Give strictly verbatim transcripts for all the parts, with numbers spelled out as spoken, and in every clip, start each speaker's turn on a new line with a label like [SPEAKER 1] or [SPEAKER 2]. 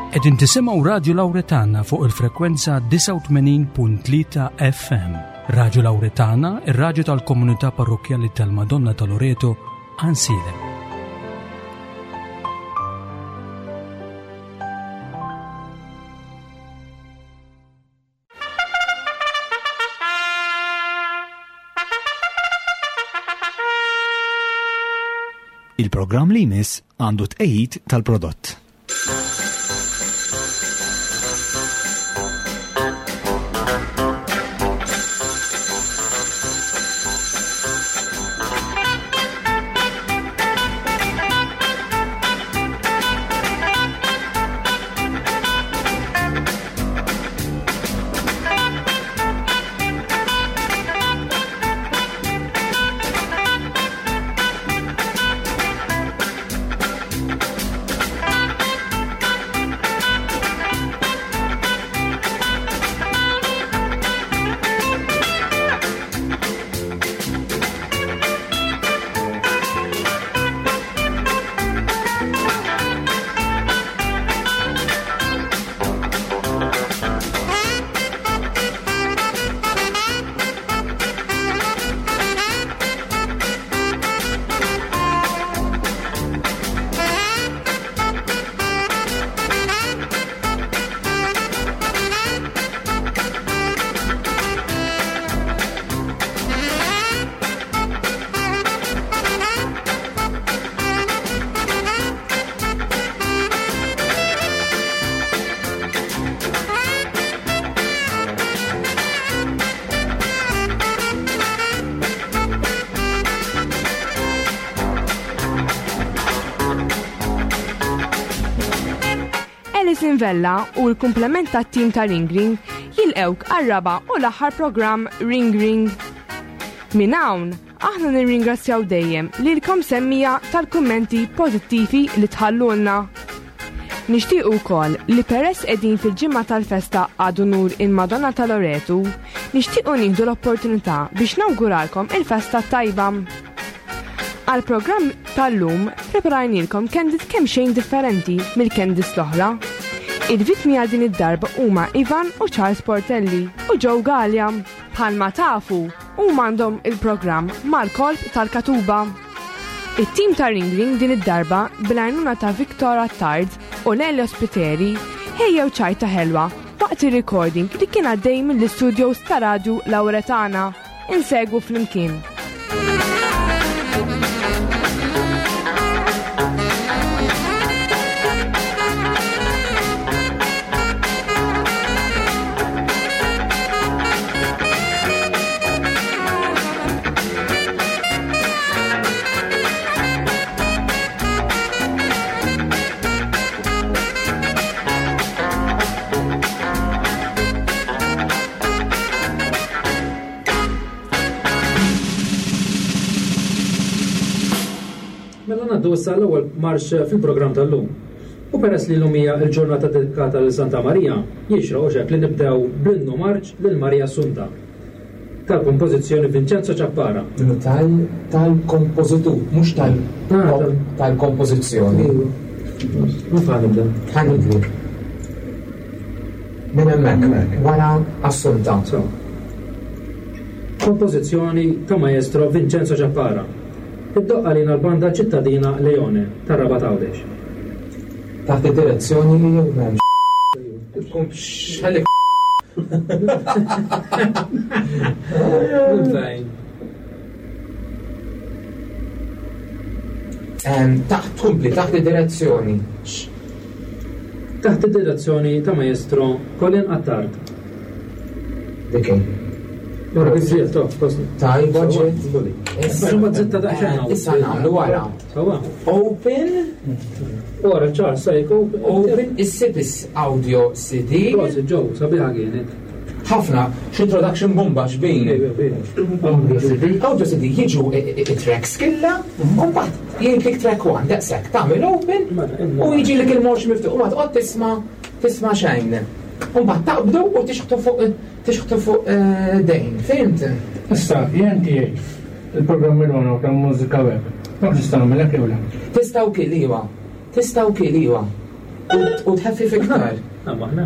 [SPEAKER 1] Qegħdin tisimgħu Radio Lauretana fuq il-frekwenza disgħa u tmenin punt tlieta F M. Radio Lauretana, ir-radju tal-komunità parrokkjali tal-Madonna ta' Loreto, Għajnsielem.
[SPEAKER 2] Il-programm li jmiss għandu tqegħid tal-prodott.
[SPEAKER 3] Vella u l-komplement tat-tim ta' Ring Ring jilqewk għar-raba' u l-aħħar programm Ring Ring. Minn hawn, aħna nirringrazzjaw dejjem lilkom semmija tal-kummenti pożittivi li tħallulna. Nixtiequ wkoll li peress qegħdin fil-ġimgħa tal-festa għadu nur il-Madonna ta' Loretu, nixtiequ nieħdu l-opportunità biex nawguralkom il-festa tajba. Għal-programm tal-lum preparajnilkom candid kemm xejn differenti mill-candid l-oħra. Il-vittmi għal din id-darba huma Ivan u Charles Portelli u Joe Galea. Bħalma tafu, huma għandhom il-programm mal-kolp tal-Katuba. It-tim ta' Ring Ring din id-darba bil-għajnuna ta' Victor Attard u Lelio Spiteri ħejjew ċajta ħelwa waqt ir-recording li kien għaddej mill-istudios ta' Radio Lauretana. Insegwu flimkien.
[SPEAKER 4] Ngħaddu issa l-ewwel marx fil-programm tal-lum. U peress li llum hija l-ġurnata dedikata lil Santa Marija, jixraq u xek li nibdew bl-innu marċ lil Marija Assunta tal-kompożizzjoni Vincenzo Ciappara.
[SPEAKER 5] Tal-, tal-kompożitur, mhux tal-
[SPEAKER 4] Ah, tal-
[SPEAKER 5] tal-kompożizzjoni.
[SPEAKER 4] Mhux ħa nibda.
[SPEAKER 5] Ħa nibdu. Minn hemmhekk, wara Assunta.
[SPEAKER 4] So. Kompożizzjoni ta' maestro Vincenzo Ciappara. Iddoqqa lina l-banda ċittadina Leone tar-Rabat Għawdex.
[SPEAKER 5] Taħt id-direzzjoni jew m'hemmx. Tkun x'ħalli. Ehm, taħt tkompli, taħt id-direzzjoni.
[SPEAKER 4] Taħt id-direzzjoni ta' maestro Colin Attard.
[SPEAKER 5] Dik hi.
[SPEAKER 4] Ora, biżżejjed, tof, kosni.
[SPEAKER 5] Tajba,
[SPEAKER 4] Sawa,
[SPEAKER 5] ġiet.
[SPEAKER 4] mbuli.
[SPEAKER 5] Issa,
[SPEAKER 4] Issa, zitta daqsxejn hawn.
[SPEAKER 5] Issa nagħmlu wara.
[SPEAKER 4] Sawa.
[SPEAKER 5] Open.
[SPEAKER 4] Ora, ċar, sajk, open.
[SPEAKER 5] Open, issib is audio C D.
[SPEAKER 4] Prosit, Joe, sabiħa kienet.
[SPEAKER 5] Ħafna, x'introduction bomba xbin.
[SPEAKER 6] Audio C D.
[SPEAKER 5] Audio C D jiġu i-, i-, i-tracks killa, u mbagħad jgħidlek track one, daqshekk tagħmel open u jiġilek il-morx miftuħ u ma tqgħod tisma' tisma' xejn. U mbagħad taqbdu u tixħtu fuq, tixħtu fuq, eh, dejn, fimt?
[SPEAKER 6] Issa, jien tiegħi il-programm il-għona ta' mużika web. Ma tista' nagħmel hekk jew le?
[SPEAKER 5] Tista' wkoll iwa. Tista' wkoll iwa. U tħaffif iktar.
[SPEAKER 4] Aħna.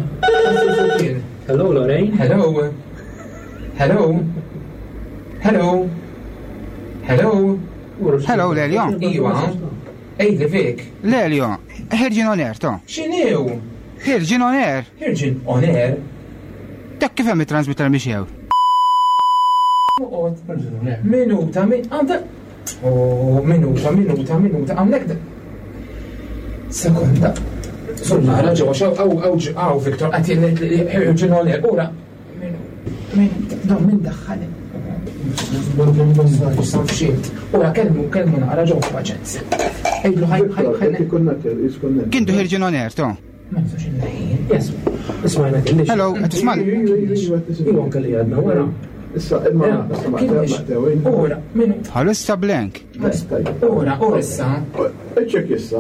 [SPEAKER 5] Kien.
[SPEAKER 4] Hello, Lorraine.
[SPEAKER 5] Hello. Hello. Hello. Hello.
[SPEAKER 7] Hello, Lelio.
[SPEAKER 5] Iwa. Ejdi Vic.
[SPEAKER 7] Lelio, ħirġin on air, to.
[SPEAKER 5] X'inhu?
[SPEAKER 7] Ħirġin on air.
[SPEAKER 5] Ħirġin on air.
[SPEAKER 7] Dak kif hemm it-transmitter mixew?
[SPEAKER 5] Oqgħod. Minuta, min għandha. Oh, minuta, minuta, minuta, għamlek. Sekonda. Sul nara ġewwa xew aw aw aw Viktor qed jgħid ħirġin on air. Ura. Minuta, dawn min daħħal. Ura kelmu kelmu naqra ġewwa paċenza. Ejlu ħaj ħaj ħaj.
[SPEAKER 7] Kintu ħirġin on air, to.
[SPEAKER 5] Ma nistax inneħin.
[SPEAKER 4] Yes. Ismajna kellix.
[SPEAKER 7] Hello, qed tismani?
[SPEAKER 4] Iwa anke li għadna wara.
[SPEAKER 8] Issa, imma, issa ma
[SPEAKER 5] Ura, minuta.
[SPEAKER 7] Bħalissa blank.
[SPEAKER 5] Ura, ura issa.
[SPEAKER 8] Iċċek issa.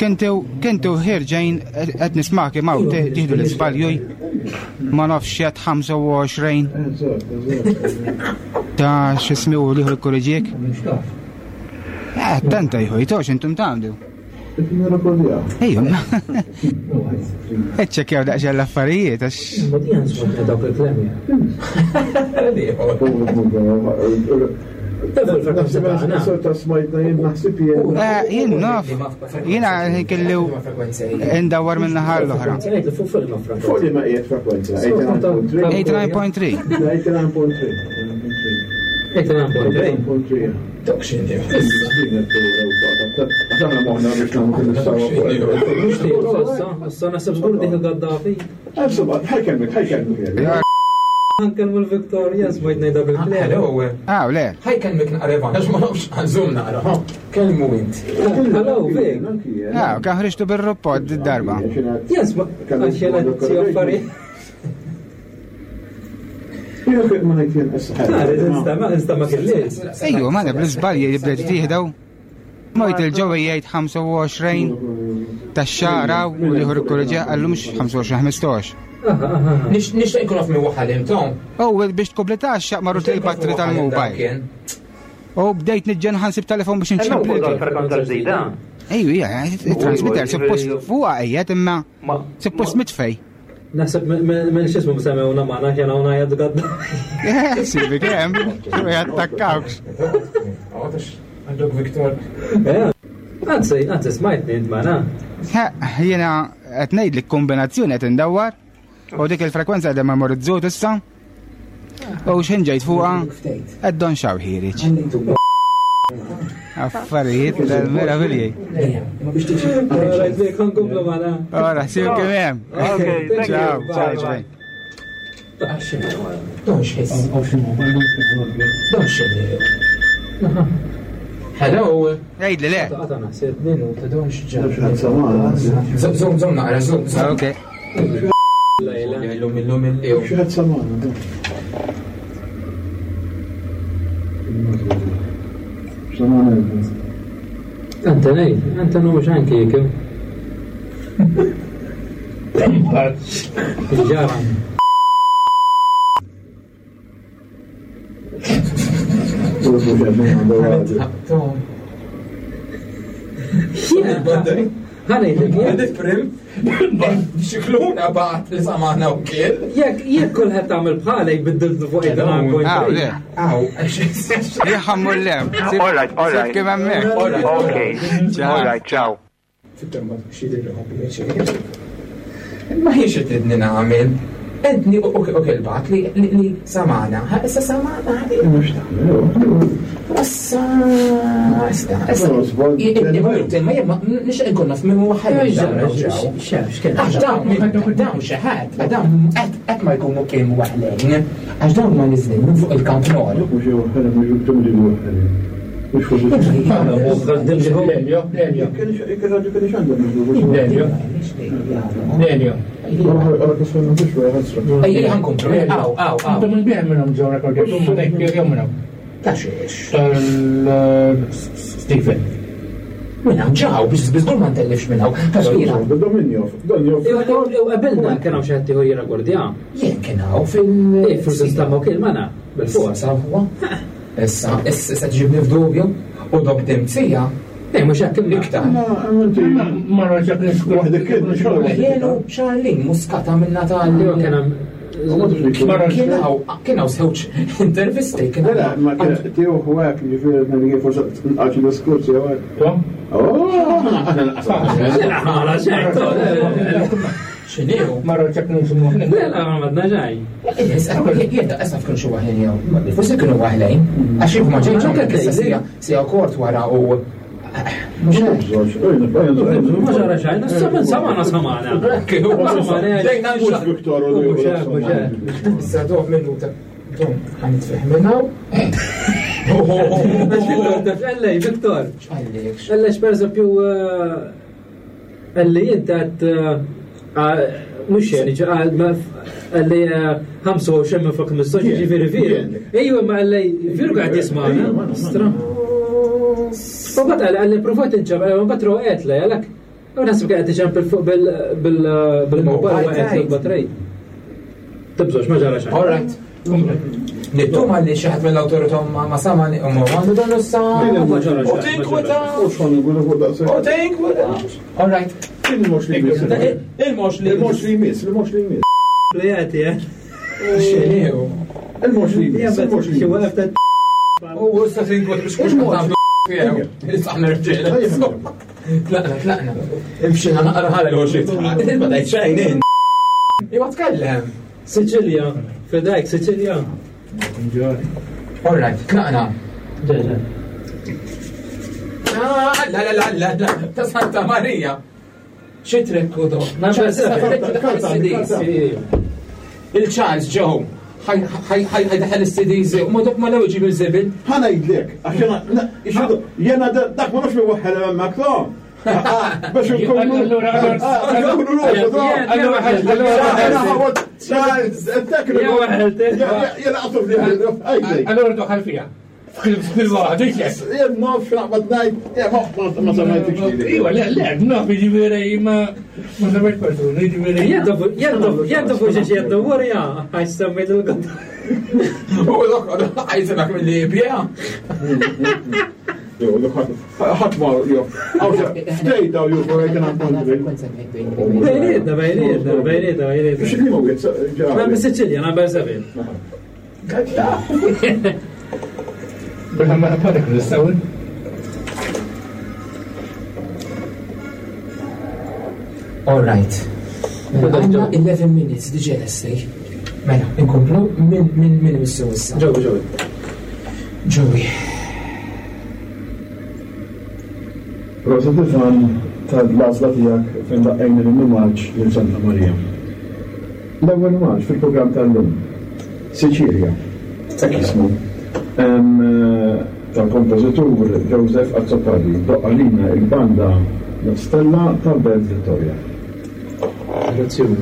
[SPEAKER 7] Kintu kintu ħirġejn qed nismak imma tieħdu l-iżbaljuj. Ma nafx qed ħamsa u għoxrin. Ta' x'ismi u liħu l-korriġiek? Eh, tanta jħu, jitox intum tagħmlu. Ejju, iċċekkjaw daqsxejn l-affarijiet għax.
[SPEAKER 4] Ma di għan dawk il-klemja.
[SPEAKER 8] Sota smajtna jien naħseb jien.
[SPEAKER 7] Eh, jien naf. Jiena kellu ndawwar minn naħa l-oħra.
[SPEAKER 8] Fuq li ma qiegħed frekwenza.
[SPEAKER 7] eighty-nine point three.
[SPEAKER 8] eighty-nine point three.
[SPEAKER 4] eighty-nine point three.
[SPEAKER 5] Dok x'inhi.
[SPEAKER 8] Aħna moħħna biex nagħmlu kien nistgħu.
[SPEAKER 4] Issa, issa naħseb żgur dik il-Gaddafi.
[SPEAKER 8] Insomma, ħajkellmek, ħajkellmek.
[SPEAKER 4] Nkellmu l-Viktor, yes, smajt ngħidha bil-klem.
[SPEAKER 5] Hello.
[SPEAKER 7] Ah, le.
[SPEAKER 5] Ħajkellmek naqra Ivan, għax ma nafx għażum naqra, ha. Kellmu int.
[SPEAKER 4] Hello, Vic.
[SPEAKER 7] Ah, kan ħriġtu bir-rapport id-darba.
[SPEAKER 4] Yes, ma għax jena si affarijiet.
[SPEAKER 8] Jien ma ngħid jien issa.
[SPEAKER 4] Insta ma insta ma kellix.
[SPEAKER 7] Ejju, ma naf l-iżbalji li bdejt tieħdew. Mojt il-ġewwa jgħid ħamsa u għoxrin tax-xahar u liħor ikkorreġija qallu mhux ħamsa u għoxrin, ħmistax.
[SPEAKER 5] Nixtieq nkun naf min waħħal Tom.
[SPEAKER 7] Oh, biex tkompleta x-xaq marru il-battri tal-mobile. U bdejt niġġen ħansib telefon biex nċemplu.
[SPEAKER 9] Frekwenza ġdida.
[SPEAKER 7] Ejju, hija, il-transmitter suppost fuqha qiegħed imma suppost mitfej.
[SPEAKER 4] Naħseb minn x'ismu semmewna magħna kien hawn għajad gadda.
[SPEAKER 7] Sibi kemm, xu jattakkawx.
[SPEAKER 5] Għandok Viktor.
[SPEAKER 4] Anzi, anzi smajtni int magħna.
[SPEAKER 7] Jiena qed ngħidlek kombinazzjoni qed indawwar u dik il-frekwenza qiegħda memorizzut issa. U x'ħin ġejt fuqha qed don xaw ħireġ. Affarijiet tal-meravilji.
[SPEAKER 4] Rajt nkomplu magħna.
[SPEAKER 7] Ora, sib kemm hemm.
[SPEAKER 9] Okay, thank you.
[SPEAKER 7] Ciao, ciao, ciao.
[SPEAKER 5] Don x'ħiss. Don x'inhi. Hello.
[SPEAKER 7] Għidli le.
[SPEAKER 4] Għata naħseb.
[SPEAKER 5] Minuta, don x'ġab. Żomm, żomm naqra, żomm.
[SPEAKER 7] Ok.
[SPEAKER 5] Illum, illum, illum.
[SPEAKER 8] Xi ħadd samana. Samana.
[SPEAKER 4] Anta nej, anta nu mhux anki jekk. Ġara. Ħanejlek,
[SPEAKER 5] Għandek prim? Xikluna bat li samana u kiel.
[SPEAKER 4] Jekk jekk kulħadd tagħmel bħala jbiddiltu fuq
[SPEAKER 7] Ah, le.
[SPEAKER 5] Aw,
[SPEAKER 7] Jħammu l-lem.
[SPEAKER 9] All right, all right.
[SPEAKER 7] Sib kemm hemmhekk.
[SPEAKER 9] Okay.
[SPEAKER 7] Ciao.
[SPEAKER 9] All right, ciao.
[SPEAKER 5] Ma hiex tridni nagħmel. Edni u kelbat li li samana. Ha, issa samana. Issa, issa, issa. Imma jemma, nixtieq nkun naf minn huwa ħajja. Għax dawn, dawn xi ħadd, dawn qatt ma jkunu kienu waħlejn. Għax dawn ma niżlin minn fuq il-Camp Nou.
[SPEAKER 6] Lelio, Lelio. Lelio. Lelio.
[SPEAKER 5] Ejja, ħankomplu. Aw, aw, aw.
[SPEAKER 6] Intom il-bieħ minnhom ġew rekordjat, jew minnhom.
[SPEAKER 5] Ta' xiex.
[SPEAKER 6] Tal-Stephen.
[SPEAKER 5] Minn hawn ġew biex biżgur ma ntellifx minn hawn. Taxkira.
[SPEAKER 4] Qabilna kien hawn xi ħadd ieħor jirrekordja.
[SPEAKER 5] Jien kien hawn fil-
[SPEAKER 4] Eh, forsi nstamgħu kien magħna bil-fuq.
[SPEAKER 5] Issa, issa, issa ġibni f'dubju u dok dimzija
[SPEAKER 4] Eh, mhux hekk imma.
[SPEAKER 5] Iktar.
[SPEAKER 6] Ma raġak
[SPEAKER 8] Waħdek kien,
[SPEAKER 5] Jenu Charlene Muscata minna tal.
[SPEAKER 4] Kien hemm
[SPEAKER 5] Kien hawn kien hawn żewġ intervisti kien
[SPEAKER 8] Le, le, ma kien tiegħu għek, ġifieri minn kien forsi nqaċ diskorsi jew hekk.
[SPEAKER 6] Tom?
[SPEAKER 8] Oh, aħna nqasam.
[SPEAKER 4] Le, xejn,
[SPEAKER 5] X'inhu?
[SPEAKER 6] Ma raġak nisimu.
[SPEAKER 4] Le, le, ma madna xejn.
[SPEAKER 5] Jien issa f'kien xi waħlin jew. Forsi kienu waħlejn. Għax jien ma ġejtx anke issa sija sija kort wara u mhux hekk.
[SPEAKER 4] Ma ġara xejn, issa samana samana.
[SPEAKER 5] Ġejna
[SPEAKER 8] Mhux Viktor u
[SPEAKER 4] Mhux hekk, mhux hekk.
[SPEAKER 5] Issa doh minuta. Dom, ħanitfih minnaw.
[SPEAKER 4] Viktor, taf, ellej, Viktor.
[SPEAKER 5] X'għallek?
[SPEAKER 4] Ellej, per eżempju, elli inti għed mux jeni, għalli ħamsa u xemmen fuq mistoċ, ġifiri veru. Ejju, ma għalli veru għad jismana. Stra. U bat għalli għalli provajt inċab, ma bat roqet le, għalak. U nasib għed iċempel fuq bil-mobile u għed l-batrej. Tibżox, ma ġara xejn.
[SPEAKER 5] All right. Nittuma li xi ħadd mill-awtorità ma ma sama u ma għandu dan issa.
[SPEAKER 4] Ma ġara
[SPEAKER 5] U
[SPEAKER 4] xejn.
[SPEAKER 5] tinkweta.
[SPEAKER 8] U xħan nqulu fuq daqshekk.
[SPEAKER 5] U tinkweta. All right.
[SPEAKER 8] Il-mhux li jmiss.
[SPEAKER 5] Il-mhux li
[SPEAKER 8] Il-mhux li jmiss, il-mhux li jmiss.
[SPEAKER 4] Plejati, eh?
[SPEAKER 5] X'inhu?
[SPEAKER 8] Il-mhux li jmiss, il-mhux li
[SPEAKER 4] Xi
[SPEAKER 8] jmiss.
[SPEAKER 4] waqaf ta'
[SPEAKER 5] U issa tinkweta biex kux nagħmlu tiegħu. Issa aħna rġiel. Tlaqna, tlaqna. Imxina naqra ħalel u xi. Ma tgħid xejn in. Iwa tkellem.
[SPEAKER 4] Sicilja, fidajk, Sicilja.
[SPEAKER 5] All right, tlaqna.
[SPEAKER 4] Ġeġa.
[SPEAKER 5] Ah, La la la la la, ta' Santa Maria. Xi trekku do?
[SPEAKER 4] Number seven.
[SPEAKER 5] Il-Charles Joe ħajdaħal is-C Ds u ma dok ma lew iġib il-żibel.
[SPEAKER 8] Ħa ngħidlek, għax jena, jena dak ma nafx waħħel hemmhekk tom. Biex nkunu.
[SPEAKER 6] Allura, allura,
[SPEAKER 8] Nkunu l-għodu,
[SPEAKER 6] allura, allura,
[SPEAKER 8] Jena għatu fli.
[SPEAKER 6] Allura doħal fija. Fil waħd, dik
[SPEAKER 8] Jien naf x'naqbad ngħid, ma samajtikx lili.
[SPEAKER 6] Iwa, le, le, naf, ġifieri, ma ma samajt persuna, ġifieri.
[SPEAKER 4] Jaddu fuq xi jaddu warja, għax semmejt il-għod.
[SPEAKER 5] U dok ħajsimak mill-Libja.
[SPEAKER 8] Jew, ħadd ma jew. Ftejt daw jew għajt għandhom.
[SPEAKER 4] Bejnietna, bejnietna, bejnietna, bejnietna.
[SPEAKER 8] X'li ma wieħed
[SPEAKER 4] Ma minn Sicilja, number seven.
[SPEAKER 6] Bella ma parik l-istawin.
[SPEAKER 5] All right. Għandna eleven minutes diġa lesti. Mela, inkomplu minn minn minn missu issa.
[SPEAKER 4] Ġewi, ġewi.
[SPEAKER 5] Joey.
[SPEAKER 8] Rosa Tifan tal-għażla tiegħek fejn daqqejna l-innu marċ lil Santa Maria. L-ewwel marċ fil-programm tal-lum, Sicilia, hekk jismu, Em, eh, tal-kompożitur Joseph Azzopardi, doqqalina il-banda La Stella tal-Belt Vittoria.
[SPEAKER 4] Direzzjoni.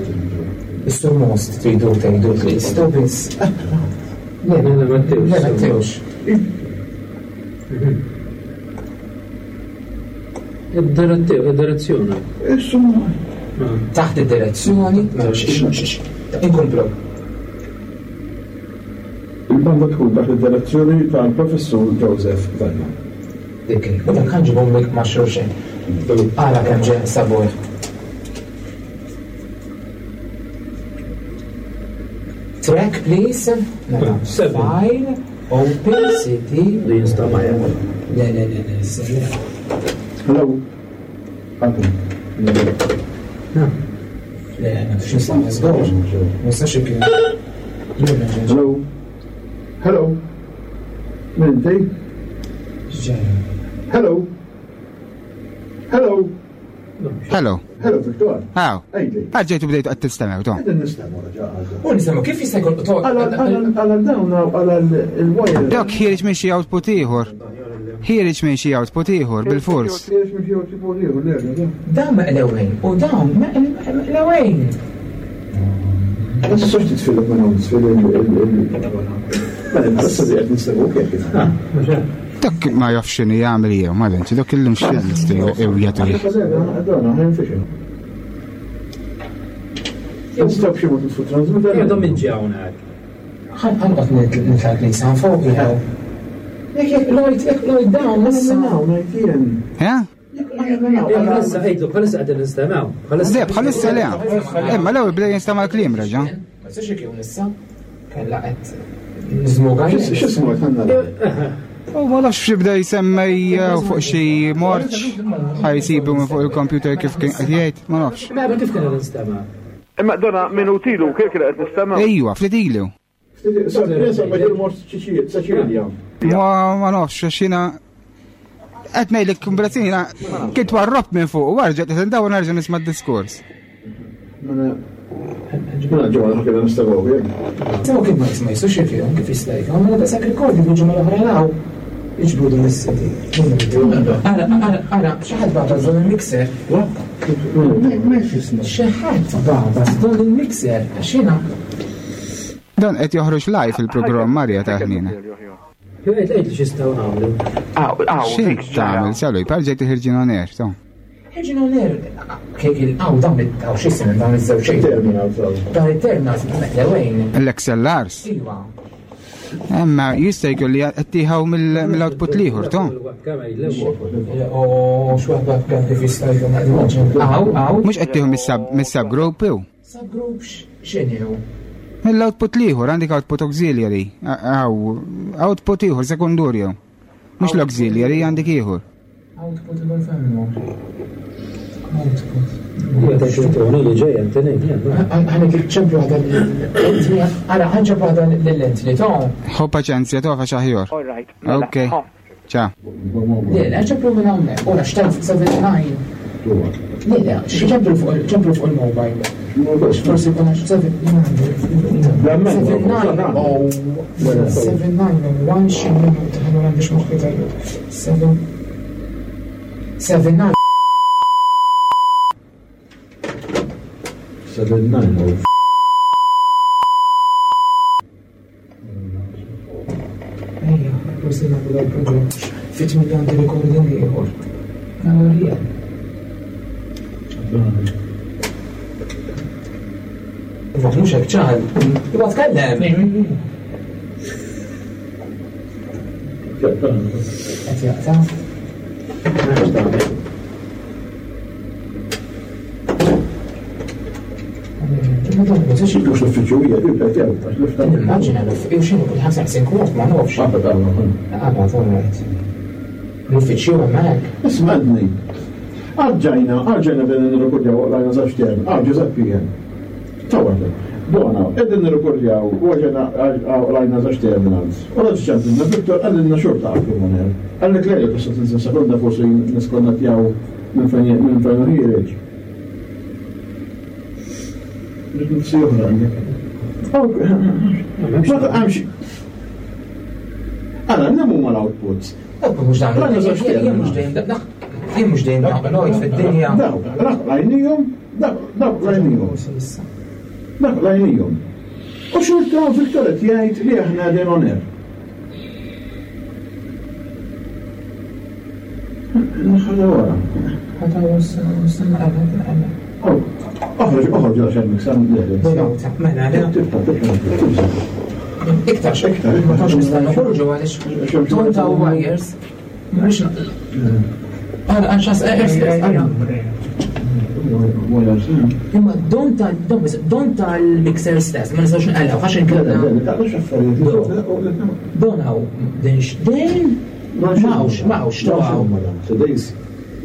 [SPEAKER 5] Is-sur most tridu tgħidu Kristo biss. Le,
[SPEAKER 4] Le, le, ma ttewx.
[SPEAKER 5] le, ma ttewx.
[SPEAKER 4] Id-direzzjoni.
[SPEAKER 8] Insomma,
[SPEAKER 5] Taħt id-direzzjoni, mela, x- x- x- inkomplu.
[SPEAKER 8] il-banda tkun taħt id-direzzjoni tal-professur Joseph Vella.
[SPEAKER 5] Dik, u dak ħanġibhom lik ma' xulxin. Għala kemm ġej sabor. Track, please. Mela,
[SPEAKER 4] Seven.
[SPEAKER 5] File, open, C D.
[SPEAKER 4] Li jinstama'
[SPEAKER 5] Le, le, le, le, le.
[SPEAKER 8] Hello. Għatu.
[SPEAKER 5] Le, ma tux nistama' żgur. Ma nistax ikun.
[SPEAKER 8] Hello. Hello. Min inti? Hello. Hello.
[SPEAKER 7] Hello.
[SPEAKER 8] Hello, Victor.
[SPEAKER 7] Haw.
[SPEAKER 8] Ejli.
[SPEAKER 7] Għadġejtu bdejtu għad tistemew, tom.
[SPEAKER 8] Qegħdin nistgħu raġa' għadha.
[SPEAKER 5] U nisimgħu kif jista' jkun
[SPEAKER 8] Għala dawn għala il-wire.
[SPEAKER 7] Dok ħiereġ minn xi output ieħor. Ħiereġ minn xi output ieħor bil-fors.
[SPEAKER 8] Ħiereġ minn xi output ieħor, le, le, le.
[SPEAKER 5] Dawn meqlewejn u dawn meqlewejn.
[SPEAKER 8] Ma tistax titfilek minn hawn titfil il- Mela, issa li qed nistgħu kif.
[SPEAKER 7] Dak ma jafx x'inhu jagħmel jew ma dentx, dak illum x'il jagħtu.
[SPEAKER 8] Nistgħu b'xi mod nitfu transmitter.
[SPEAKER 4] Għandhom minn ġi hawnhekk.
[SPEAKER 5] Ħanqot nitla' l-knisja fuq jew. Jekk jekk Lloyd, jekk Lloyd dawn
[SPEAKER 8] Minn
[SPEAKER 5] issa.
[SPEAKER 8] hawn ngħid jien.
[SPEAKER 7] Ha?
[SPEAKER 4] Bħalissa għidlu, bħalissa qegħdin nistemaw.
[SPEAKER 7] Le, bħalissa le. Imma l-ewwel bdej jinstema' l-kliem reġa'.
[SPEAKER 5] Ma jistax ikun issa. Kella qed niżmuga.
[SPEAKER 8] X'ismu qed nara?
[SPEAKER 7] U ma nafx x'ibda jsemmej eh, fuq xi morċ ħajsibu minn fuq il-computer kif kien qed jgħid, ma nafx.
[SPEAKER 4] Ma kif kien nistema'?
[SPEAKER 9] Imma dona minutilu kif kien qed nistema'?
[SPEAKER 7] Ejwa, ftit ilu.
[SPEAKER 8] Insomma, il-mort Ċiċilja.
[SPEAKER 7] Ma ma nafx għax jiena qed ngħidlek kombinazzjoni jiena kint warrobt minn fuq u warġa' qed indawwar nerġa' nisma' d-diskors.
[SPEAKER 8] Mela, mela ġewwa ħakina nistgħu
[SPEAKER 5] Sewa kif ma jisma' jistax ikun kif jista' jkun, mela daqshekk recording il-ġimgħa l-oħra law. Iġbru din is-siti. Ara, ara, ara, xi ħadd bagħas dan il-mixer. Xi ħadd bagħas dan il-mixer għax jiena
[SPEAKER 7] Dan qed joħroġ live il-programm Marja ta' ħnina.
[SPEAKER 4] Għid għidlu x'jistgħu nagħmlu.
[SPEAKER 9] Aw, aw,
[SPEAKER 7] X'int tagħmel salu jparġa tiħirġin on air, to.
[SPEAKER 5] Ħirġin on air kejk il-qaw dawn it-taw x'isem dawn iż-żewġ xejn.
[SPEAKER 8] Terminal
[SPEAKER 5] Dan it-terminal meqlewejn.
[SPEAKER 7] L-XLRs.
[SPEAKER 5] Iva.
[SPEAKER 7] Imma jista' jkun li qed tieħu mill-output l-ieħor, to.
[SPEAKER 5] U x'waħda kemm kif jista' jkun Aw, aw.
[SPEAKER 7] Mhux qed tieħu mis-subgroup jew?
[SPEAKER 5] Subgroup x'inhu?
[SPEAKER 7] Mill-output l-ieħor għandek output auxiliary, aw, output ieħor sekundurju. Mhux l-auxiliary għandek ieħor.
[SPEAKER 5] Output ieħor femmu. Output.
[SPEAKER 4] Ija tgħid Tony li ġej Anthony.
[SPEAKER 5] Ħanek ċemplu għadha l-Anthony, ara ħanċemplu għadha l-Anthony, to.
[SPEAKER 7] Ħu paċenzja tofa xaħjor.
[SPEAKER 9] All right. mela,
[SPEAKER 7] Ok. Ciao.
[SPEAKER 5] Le, le, ċemplu minn hawnhekk. Ora xtajt seven nine. Le, le, ċemplu fuq ċemplu fuq il-mobile. Forsi kuna seven seven nine oh seven nine oh one xi minuta ħa għandix moħħi tajjeb. Seven seven nine
[SPEAKER 8] Seven nine oh.
[SPEAKER 5] Ejja, forsi nagħmlu dal-programm. Fit miljon għandi recording ieħor. Nagħmlu jien. Ma mhux hekk ċar. Iwa tkellem. Qed jaqta'. Ma dan ma tistax
[SPEAKER 8] Mhux l-uffiċċju hija jibda jew għax l-iftaħ.
[SPEAKER 5] Nimmaġina l-uffiċċju x'inhu kull ħamsa ħsin kwart ma nafx.
[SPEAKER 8] Qabad għamlu.
[SPEAKER 5] Qabad, all right. L-uffiċċju hemmhekk.
[SPEAKER 8] Isma' għadni. Għadġajna, għadġajna bdejna nirrekordjaw għajna żewġ term, għad Giuseppe jien. Tawar. Dona, qegħdin nirrekordjaw u għadġajna għajna żewġ terminals. U għadġ ċempilna Victor għalilna xorta għabdu moner. Għallek lejla tista' tinżel sekonda forsi niskonnettjaw minn fejn minn fejn ħiereġ. Nifsi oħra għandek. Ma taqamx. Għala, nemu ma l-outputs.
[SPEAKER 5] Output mhux dan.
[SPEAKER 8] Għajna żewġ
[SPEAKER 5] Jien mhux dejjem dak. Jien mhux dejjem dak Lloyd fid-dinja.
[SPEAKER 8] Dawk, dak lajnijom, dawk, dawk lajnijom. Dak lajnijom. U xorta Victor qed jgħid li aħna qegħdin on air. Nħalla wara.
[SPEAKER 5] Ħata stenna qabel qabel.
[SPEAKER 8] Oħroġ, oħroġ għax hemm miksa
[SPEAKER 5] Minuta, mela le.
[SPEAKER 8] Tibqa' tibqa' tibqa'.
[SPEAKER 5] Iktar
[SPEAKER 8] Iktar,
[SPEAKER 5] ma tantx nista' noħorġu għaliex ton ta' wires. Mhux Għara, għanxas, għara. Imma don ta' don biss, don tal-mixer stess, ma nistax nqellgħu għax inkella. Don hawn, din x'din? Mawx, mawx, to hawn.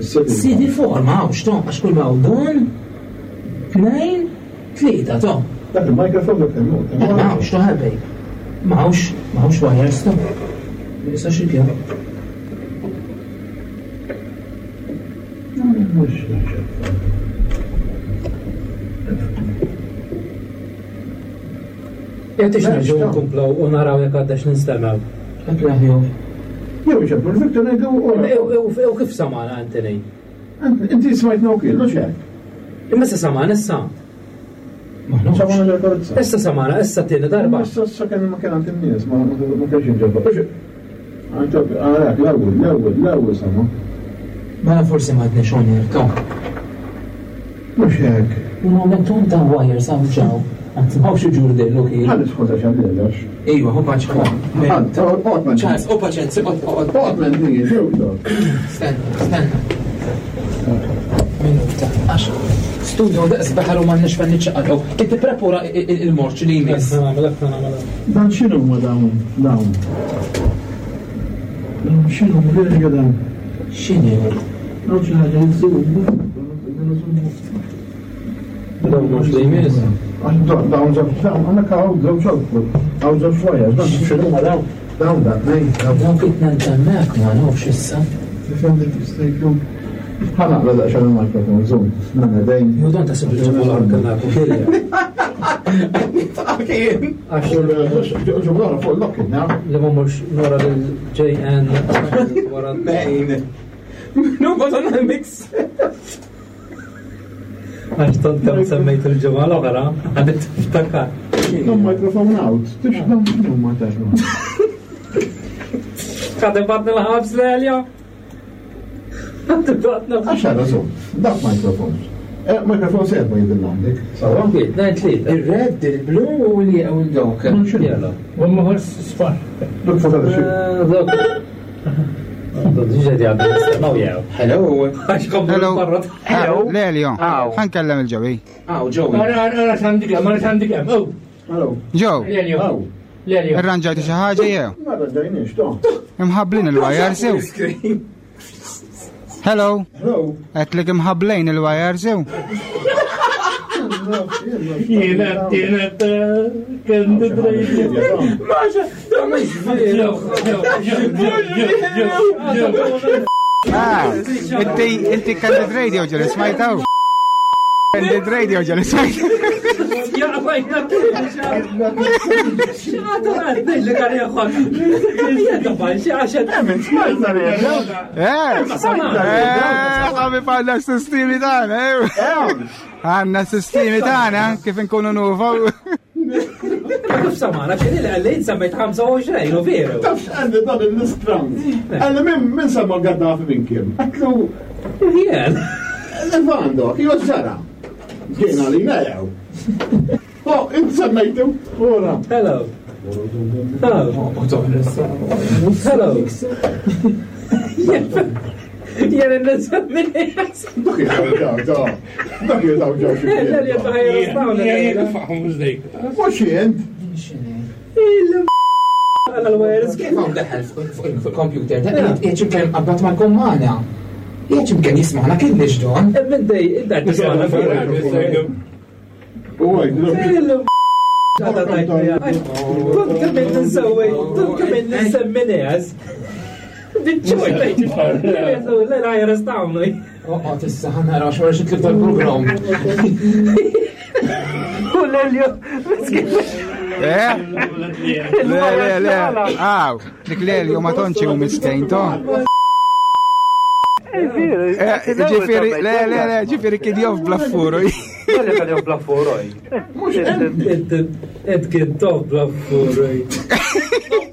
[SPEAKER 5] C D four mawx, to, għax kull ma hawn don, tnejn, tlieta, to.
[SPEAKER 8] Dak il-mikrofon dak il-mod.
[SPEAKER 5] Mawx, to ħabej. Mawx, mawx wires, to. Ma nistax ikja.
[SPEAKER 4] Jgħatix nerġgħu nkomplaw u naraw jekk għaddax ninstemgħu.
[SPEAKER 5] Hekk l-aħjar.
[SPEAKER 8] Jew iċemplu l-Victor ngħidu
[SPEAKER 4] U kif samana Anthony?
[SPEAKER 8] Inti smajtna wkoll, mhux hekk.
[SPEAKER 4] Imma issa samana issa.
[SPEAKER 8] Samana ġol-karozza.
[SPEAKER 4] Issa samana, issa tieni darba.
[SPEAKER 8] Issa issa kien ma kien għand in-nies, ma ma kienx inġabba. Għalhekk l-ewwel, l-ewwel, l-ewwel sama.
[SPEAKER 5] Mela forsi ma għadniex on air, to.
[SPEAKER 8] Mhux hekk.
[SPEAKER 5] Un momentum ta' wires hawn ġew. Anzi, ma xi ġurdin u kien.
[SPEAKER 8] Ħalli skuża x'għandilx.
[SPEAKER 5] Iva, hu paċ
[SPEAKER 8] Ħadd,
[SPEAKER 5] Ċans, u paċenzi, oqgħod.
[SPEAKER 8] Oqgħod minn din, xew
[SPEAKER 5] Stenna, stenna. Minuta, għax studio daqs baħar u m'għandniex fejn niċċaqalqu. Inti prepara il-morċ li jmiss.
[SPEAKER 8] Dan x'inhu ma dawn? Dawn. Dawn x'inhu ma dawn?
[SPEAKER 5] X'inhu?
[SPEAKER 8] Dawn xi ħaġa jiżżu.
[SPEAKER 4] Dawn mhux li jmiss.
[SPEAKER 8] Dawn dawn dawn għandek hawn żewġ output. Hawn żewġ wires, dan x'inhu ma dawn? Dawn dan, nej, dawn.
[SPEAKER 5] Dawn kif nantemmek ma nafx issa.
[SPEAKER 8] Tifhem dik jista' jkun. Ħa naqra daqsxejn il-mikrofon, żomm, nagħmel dejn.
[SPEAKER 4] Ju dan tasib il-ġimgħa l-oħra kellna
[SPEAKER 5] Għax
[SPEAKER 8] Ġimgħa fuq il-lock-in,
[SPEAKER 4] Li ma mhux nora lil J N wara.
[SPEAKER 5] Mejn. Nu bżonn mix.
[SPEAKER 4] Għax tant kemm semmejt il-ġimgħa l-oħra, għadet tiftakar.
[SPEAKER 8] Dan microphone out, tix dan x'inhu ma tax.
[SPEAKER 4] Għadem batni l-ħabs l-Elja.
[SPEAKER 8] Għax għara żomm, dak microphone. Microphone serba jidil għandek. Sawa?
[SPEAKER 4] Tnejn tlieta.
[SPEAKER 5] Il-red, il-blu u li u l-dawk.
[SPEAKER 4] Jela.
[SPEAKER 6] U maħor sfar.
[SPEAKER 8] Duk fuq għada xi.
[SPEAKER 4] Dok. Dok ġedi għaddu nistennaw jew.
[SPEAKER 5] Hello.
[SPEAKER 4] Għax komplu
[SPEAKER 7] Hello.
[SPEAKER 4] barra.
[SPEAKER 7] Hello. Lelio. Ħankellem il-ġewi.
[SPEAKER 5] Aw, Joey.
[SPEAKER 6] Ara, ara, ara, x'għandi kemm, ara x'għandi kemm. Oh,
[SPEAKER 8] Hello.
[SPEAKER 7] Joe,
[SPEAKER 6] Lelio.
[SPEAKER 8] Aw.
[SPEAKER 6] Lelio.
[SPEAKER 7] irranġajtu xi ħaġa jew?
[SPEAKER 8] Ma rranġajniex, to.
[SPEAKER 7] Imħabblin il-wires jew? Hello.
[SPEAKER 8] Hello.
[SPEAKER 7] Għedtlek imħabblin il-wires jew?
[SPEAKER 6] Jiena, jiena, kemm tidrajti.
[SPEAKER 5] Maġa, da mhux veru.
[SPEAKER 7] Ah, inti inti Candid Radio ġeli smajtaw? Candid Radio ġeli smajtaw?
[SPEAKER 4] Ja, għajna
[SPEAKER 7] Eh, eh, ħabib għandna s-sistemi tagħna, eh. Għandna s-sistemi tagħna kif inkunu nuvaw.
[SPEAKER 4] Kif samana, kien il għallin semmejt ħamsa u għoxrin, u veru.
[SPEAKER 8] Taf x'għandi dan il-nistrand. Għalli min min semma Gaddafi minn kien? Għatlu
[SPEAKER 4] Jien.
[SPEAKER 8] Levando, jo ġara. Ġejna li jew. Oh, int semmejtu, ora.
[SPEAKER 4] Hello. Hello. Hello. Jien il-nisemmi.
[SPEAKER 8] Dak jitaw ġaw, dak jitaw ġaw xi. Mhux jien.
[SPEAKER 5] Kif hawn daħal fuq il-computer? Jgħid imkien qabad mal-kommana. Jgħid imkien jisma'na kien don.
[SPEAKER 4] Minn dej, id-dar tisma'na.
[SPEAKER 8] U għaj,
[SPEAKER 4] Kont kemm nsewwi, kont kemm nsemmi nies. Biċċoj, la la jarrestawni.
[SPEAKER 5] Oqgħod issa ħa nara xorta xi tlib tal-programm.
[SPEAKER 4] U l-Elio, miskin.
[SPEAKER 7] Eh? Le, le, le. Aw, dik Lelio ma tonċi u miskejn to. Eh, Ġifieri, le, le, le, ġifieri kien jof blaffuru.
[SPEAKER 8] Mhux
[SPEAKER 4] Ed kien tof blaffuru.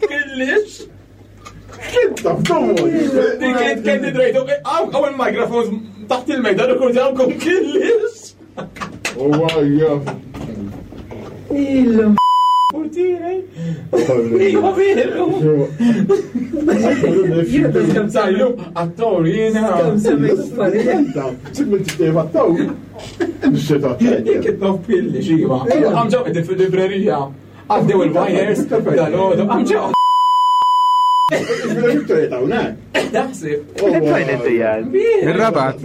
[SPEAKER 5] Kellix.
[SPEAKER 8] X'inta f'domu.
[SPEAKER 5] Dik kien kien tidrajtu. Hawn hawn il-microphones taħt il-mejda rekordjawkom kellix.
[SPEAKER 8] U għaj, jaf.
[SPEAKER 4] Il-
[SPEAKER 5] Iva veru. Sajlu, attor jiena.
[SPEAKER 4] Kemm semmejt affarijiet.
[SPEAKER 8] Simil tistejf għattaw. Nixxita
[SPEAKER 5] Dik it-tof kellix iva. Għamġaw qegħdin fil-librerija. Għaddew il-wires, dal-għodu, għamġaw. Naħseb.
[SPEAKER 7] Il-Rabat.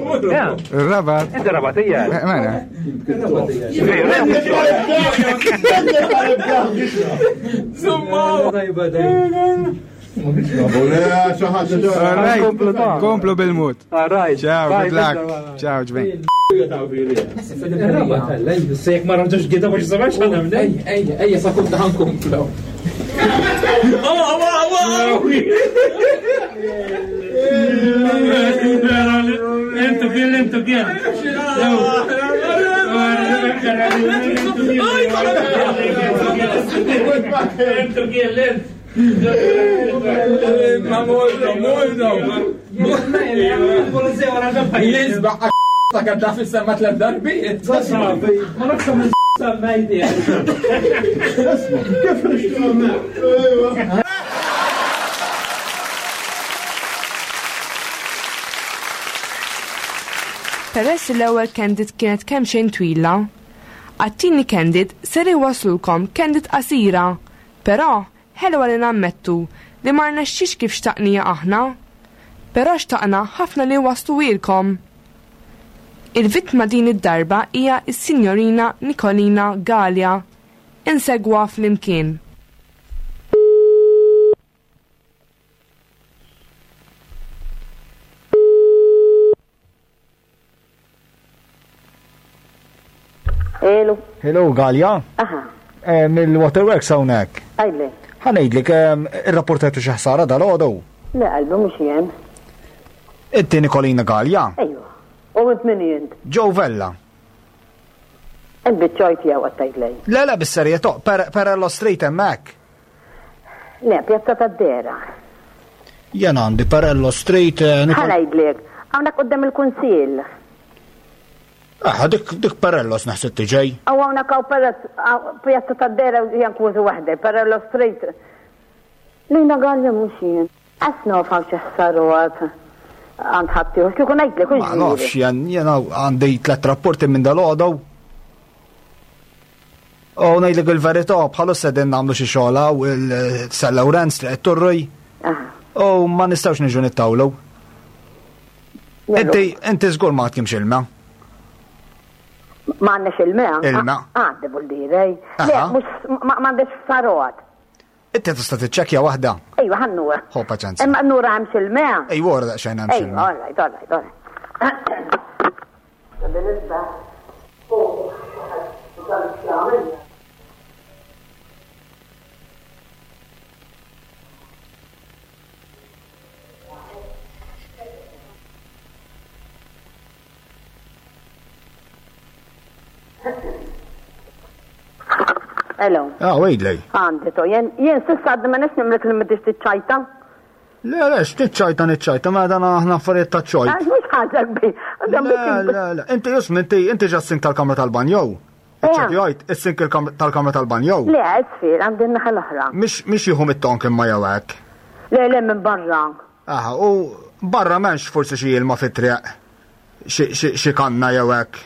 [SPEAKER 7] Il-Rabat.
[SPEAKER 9] Inti Rabatija.
[SPEAKER 7] Eh, Mela.
[SPEAKER 5] Zumma.
[SPEAKER 7] All right. Komplu bil-mut.
[SPEAKER 9] All right.
[SPEAKER 7] Ciao,
[SPEAKER 9] Bye,
[SPEAKER 7] good luck.
[SPEAKER 9] bye.
[SPEAKER 7] Ciao, ġbejn.
[SPEAKER 4] Il-Rabat, sejk ma rġax għida biex samax ħana minn.
[SPEAKER 5] Ejja, ejja, ejja, sa kunta ħankomplu.
[SPEAKER 6] Intu kien, intu kien. Intu kien, lent.
[SPEAKER 5] Ma molno, molno.
[SPEAKER 4] Pulizija wara
[SPEAKER 5] Jizba, ta' Gaddafi semma tlet darbiet.
[SPEAKER 4] Ma nafx Semmejti.
[SPEAKER 8] Kif nixtieq?
[SPEAKER 3] Peress li l-ewwel candid kienet kemm xejn twila, għat-tieni candid ser iwaslulkom candid qasira, però ħelwa li nammettu li ma rnexxix kif xtaqnija aħna, però xtaqna ħafna li wasluhielkom. Il-vittma din id-darba hija s-Sinjorina Nicolina Galea. Insegwa flimkien.
[SPEAKER 10] Hello.
[SPEAKER 2] Hello, Galea.
[SPEAKER 10] Aha.
[SPEAKER 2] Eh, Mill-Waterworks hawnhekk.
[SPEAKER 10] Għajli.
[SPEAKER 2] Ħa ngħidlek irrapportajtu xi ħsara dal-għodu.
[SPEAKER 10] Le, qalbi mhux jien.
[SPEAKER 2] Inti Nicolina Galea.
[SPEAKER 10] Ejwa. U int min int?
[SPEAKER 2] Joe Vella.
[SPEAKER 10] Int biċ-ċajt jew qed tgħidlej.
[SPEAKER 2] Le, le, bis-serjetà, per Perello Street hemmhekk.
[SPEAKER 10] Le, Pjazza tad-Dera.
[SPEAKER 2] Jien għandi Perello Street. eh,
[SPEAKER 10] Ħa
[SPEAKER 2] Nicol-
[SPEAKER 10] ngħidlek, hawnhekk quddiem il-Kunsill.
[SPEAKER 2] Ah, dik dik Perellos naħseb tiġej.
[SPEAKER 10] Aw hawnhekk hawn Perez- hawn Pjazza tad-Dera hija kważi waħda, Perello Street. Lina Galea mhux jien. Qas naf hawn xi ħsaruat għand ħaddieħor, kieku ngħidlek hux
[SPEAKER 2] Ma nafx, jien jien għandi tliet rapporti minn dal-għodu. U ngħidlek il-verità, bħalissa qegħdin nagħmlu xi xogħol hawn il-San Lawrenz li qed turri. U ma nistgħux niġu nittawlu. Inti inti żgur ma għadkimx ilma.
[SPEAKER 10] Ma għandniex ilma?
[SPEAKER 2] Ilma.
[SPEAKER 10] Għandi buldiri. Le,
[SPEAKER 2] Aha.
[SPEAKER 10] mhux ma ma għandix ħsaruat.
[SPEAKER 2] Inti tista' tiċċekkja waħda.
[SPEAKER 10] Ejwa, ħannur.
[SPEAKER 2] Ħu paċenzja.
[SPEAKER 10] Imma nura hemmx ilma.
[SPEAKER 2] Ejwa, ora daqsxejn hemmx
[SPEAKER 10] Ejwa,
[SPEAKER 2] ilma.
[SPEAKER 10] all right, all right, all right. Hello.
[SPEAKER 2] Ah, wejdlej.
[SPEAKER 10] Għandi to, jen, jen sissa għaddi ma nix nimlek li m'intix tiċċajta.
[SPEAKER 2] Le, le, x'tiċċajta niċċajta, ma dan aħna affarijiet ta' ċojt.
[SPEAKER 10] Għax mhux ħaġa kbir.
[SPEAKER 2] Le, le, le, inti jism, inti inti ġa s-sink tal-kamra tal-banjo. Iċċekkjajt, is-sink il-kam- tal-kamra tal-banjo.
[SPEAKER 10] Le, isfir, għandi n-naħa l-oħra.
[SPEAKER 2] Mhix mhix jieħu mit-tonk imma jew hekk.
[SPEAKER 10] Le, le, minn barra.
[SPEAKER 2] Aha, u barra m'hemmx forsi xi ilma fit-triq. Xi- Xi xi kanna jew hekk.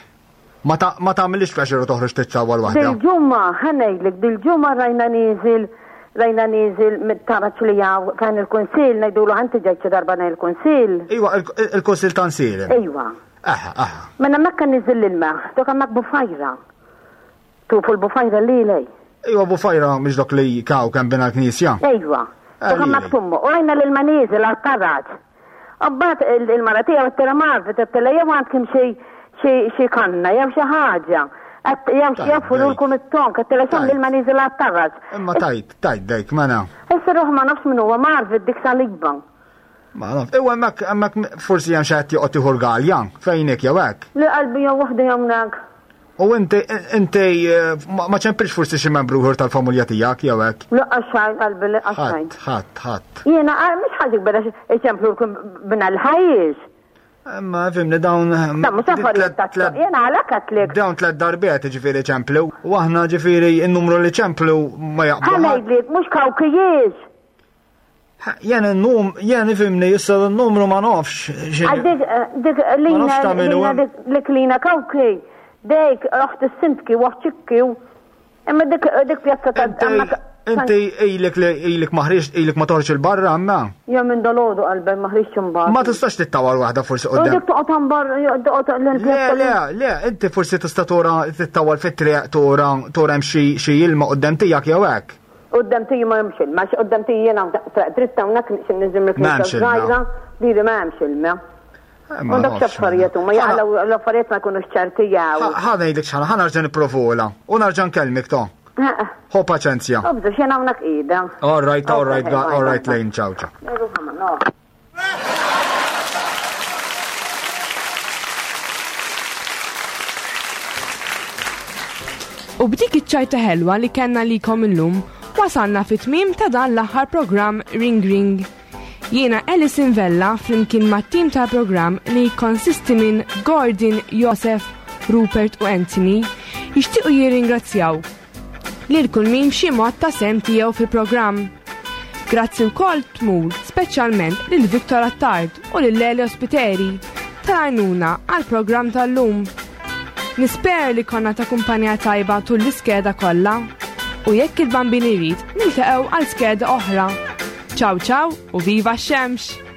[SPEAKER 2] Ma ta' ma tagħmilix pjaċir u toħroġ tiċċawwal waħda.
[SPEAKER 10] Dil-ġumma, ħanejdlek, dil-ġumma rajna niżil, rajna niżil mit-taraċ li jaw fejn il-kunsil, ngħidulu ħanti ġejt xi darba ngħid il-kunsil.
[SPEAKER 2] Iwa, il- il-kunsil ta' Nsielem.
[SPEAKER 10] Ejwa.
[SPEAKER 2] Aha, aha.
[SPEAKER 10] Minn hemmhekk kien niżil l-ilma, dok hemmhekk bufajra. Tufu l-bufajra li lej.
[SPEAKER 2] Iwa bufajra mhix dok li kaw kemm bina l-knisja.
[SPEAKER 10] Ejwa.
[SPEAKER 2] Ah,
[SPEAKER 10] Dok hemmhekk
[SPEAKER 2] lili.
[SPEAKER 10] tummu. U rajna l-ilma niżil għal-taraċ. Abbat il-mara tiegħu għattela marfet, għattela jew għandkom xi xi xi kanna jew xi ħaġa. Għat- Jew xi
[SPEAKER 2] Tajb,
[SPEAKER 10] jaffululkom it-tonk, għattela xem
[SPEAKER 2] Tajb.
[SPEAKER 10] l-ilma niżil għal-taraċ.
[SPEAKER 2] Imma tajt, tajt dejk, mena.
[SPEAKER 10] Issa ruħ ma nafx min huwa marfet dik saliba.
[SPEAKER 2] Ma naf. Iwa hemmhekk hemmhekk forsi hemm xi ħadd joqgħod ieħor Galja, fejnek jew hekk.
[SPEAKER 10] Li qalbi jew waħda hawnhekk.
[SPEAKER 2] U inti inti eh, ma ma ċempilx forsi xi membru ieħor tal-familja tiegħek jew hekk.
[SPEAKER 10] Laqqa xajn qalbi laqqa xajn.
[SPEAKER 2] Ħadd, ħadd, ħadd.
[SPEAKER 10] Jiena ah, mhux ħaġa kbira iċemplulkom bina l-ħajjix.
[SPEAKER 2] Imma fimni dawn.
[SPEAKER 10] Da mhux affarijiet ta' jiena għalhekk għedtlek.
[SPEAKER 2] Dawn tliet darbiet ġifieri ċemplu. U aħna ġifieri n-numru li ċemplu ma jaqblu.
[SPEAKER 10] Ħa ngħidlek mhux kawkijiex.
[SPEAKER 2] Jien n-num, jien ifimni issa n-numru ma nafx.
[SPEAKER 10] Għal dik eh, dik
[SPEAKER 2] Ma
[SPEAKER 10] lina
[SPEAKER 2] nafx tagħmelu
[SPEAKER 10] lina
[SPEAKER 2] hemm.
[SPEAKER 10] dik dik lina kawki. Dejk oħt is-sintki u oħt ċikki u imma dik dik pjazza ta' hemmhekk-
[SPEAKER 2] Inti ilek li ilek ma ħriġt, ilek ma toħroġ il-barra imma.
[SPEAKER 10] Ja minn dalodu qalbi ma ħriġx imbagħad.
[SPEAKER 2] Ma tistax tittawar waħda forsi
[SPEAKER 10] U
[SPEAKER 2] qudiem.
[SPEAKER 10] dik toqgħod ambar toqgħod
[SPEAKER 2] Le,
[SPEAKER 10] l-pjazza.
[SPEAKER 2] le, le, inti forsi tista' tora tittawal fit-triq tora tora hemm xi xi ilma quddiem tiegħek jew hekk.
[SPEAKER 10] Quddiem tiji ma hemmx ilma, għax quddiem tiji jiena dritta hawnhekk nixin niżim
[SPEAKER 2] Ma hemmx
[SPEAKER 10] il-knisja
[SPEAKER 2] ilma.
[SPEAKER 10] żgħira, diri ma hemmx ilma.
[SPEAKER 2] Eh,
[SPEAKER 10] Ma dak
[SPEAKER 2] nafx,
[SPEAKER 10] x'affarijiet huma jaqalgħu l-affarijiet ma jkunux ċerti jew.
[SPEAKER 2] Ħa ngħidlek x'ħana, ħa nerġa' nipprovola u nerġa' nkellmek to. Ħo paċenzja.
[SPEAKER 10] Obżu xejn hawnhekk qiegħda.
[SPEAKER 2] All right, all right,
[SPEAKER 10] Okay, bye,
[SPEAKER 2] all right,
[SPEAKER 10] bye.
[SPEAKER 2] Lane, ciao, ciao.
[SPEAKER 10] Ruħha ma naf.
[SPEAKER 3] U b'dik iċ-ċajta ħelwa li kellna likom illum, wasalna fit-tmiem ta' dan l-aħħar programm Ring Ring. Jiena Alison Vella flimkien mat-tim tal-programm li konsisti minn Gordon, Joseph, Rupert u Anthony, jixtiequ jirringrazzjaw lil kull min b'xi mod ta sehem tiegħu fil-programm. Grazzi wkoll tmur speċjalment lil Victor Attard u lil Lelio Spiteri tal-għajnuna għal-programm tal-lum. Nispera li konna ta' kumpanija tajba tul l-iskeda kollha u jekk il-Bambin irid niltaqgħu għal skeda oħra. Ciao ciao u viva x-xemx!